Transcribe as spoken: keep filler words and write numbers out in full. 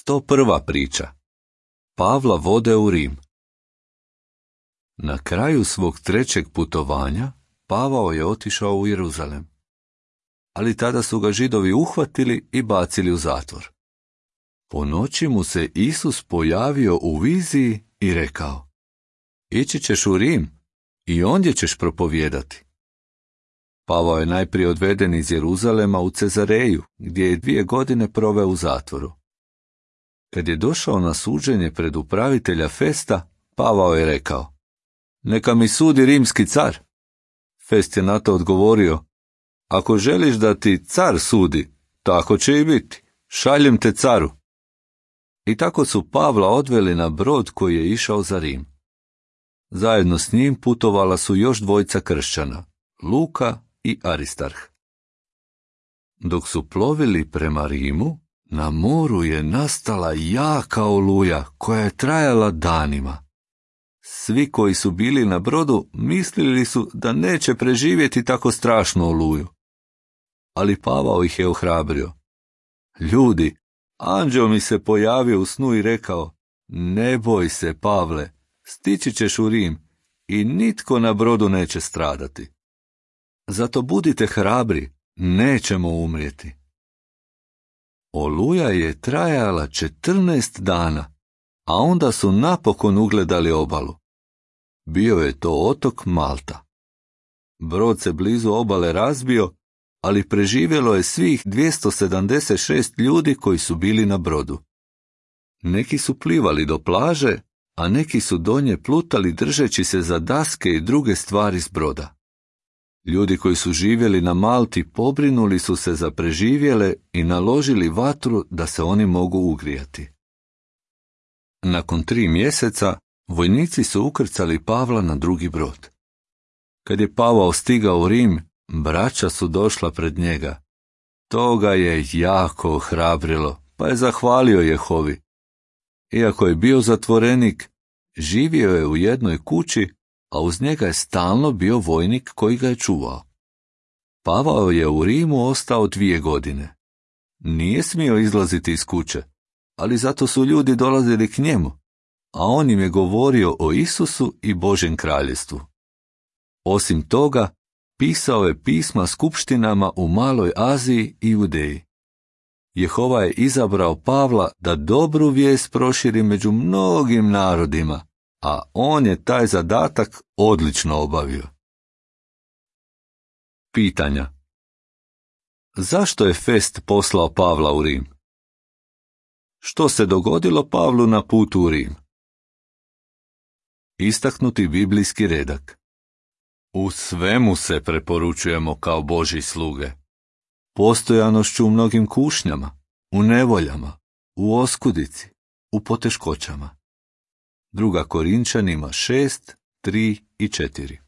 sto prva priča. Pavla vode u Rim. Na kraju svog trećeg putovanja Pavao je otišao u Jeruzalem. Ali tada su ga Židovi uhvatili i bacili u zatvor. Po noći mu se Isus pojavio u viziji i rekao: Ići ćeš u Rim i ondje ćeš propovijedati. Pavao je najprije odveden iz Jeruzalema u Cezareju, gdje je dvije godine proveo u zatvoru. Kad je došao na suđenje pred upravitelja Festa, Pavao je rekao: Neka mi sudi rimski car. Fest je na to odgovorio: Ako želiš da ti car sudi, tako će i biti. Šaljem te caru. I tako su Pavla odveli na brod koji je išao za Rim. Zajedno s njim putovala su još dvojica kršćana, Luka i Aristarh. Dok su plovili prema Rimu, na moru je nastala jaka oluja koja je trajala danima. Svi koji su bili na brodu mislili su da neće preživjeti tako strašnu oluju. Ali Pavao ih je ohrabrio. Ljudi, anđeo mi se pojavio u snu i rekao: Ne boj se, Pavle, stići ćeš u Rim i nitko na brodu neće stradati. Zato budite hrabri, nećemo umrijeti. Oluja je trajala četrnaest dana, a onda su napokon ugledali obalu. Bio je to otok Malta. Brod se blizu obale razbio, ali preživjelo je svih dvjesto sedamdeset šest ljudi koji su bili na brodu. Neki su plivali do plaže, a neki su do nje plutali držeći se za daske i druge stvari s broda. Ljudi koji su živjeli na Malti pobrinuli su se za preživjele i naložili vatru da se oni mogu ugrijati. Nakon tri mjeseca vojnici su ukrcali Pavla na drugi brod. Kad je Pavao stigao u Rim, braća su došla pred njega. To ga je jako ohrabrilo, pa je zahvalio Jehovi. Iako je bio zatvorenik, živio je u jednoj kući, a uz njega je stalno bio vojnik koji ga je čuvao. Pavao je u Rimu ostao dvije godine. Nije smio izlaziti iz kuće, ali zato su ljudi dolazili k njemu, a on im je govorio o Isusu i Božjem kraljestvu. Osim toga, pisao je pisma skupštinama u Maloj Aziji i Judeji. Jehova je izabrao Pavla da dobru vijest proširi među mnogim narodima, a on je taj zadatak odlično obavio. Pitanja. Zašto je Fest poslao Pavla u Rim? Što se dogodilo Pavlu na putu u Rim? Istaknuti biblijski redak. U svemu se preporučujemo kao Božji sluge. Postojanošću u mnogim kušnjama, u nevoljama, u oskudici, u poteškoćama. Druga Korinčanima šest, tri i četiri.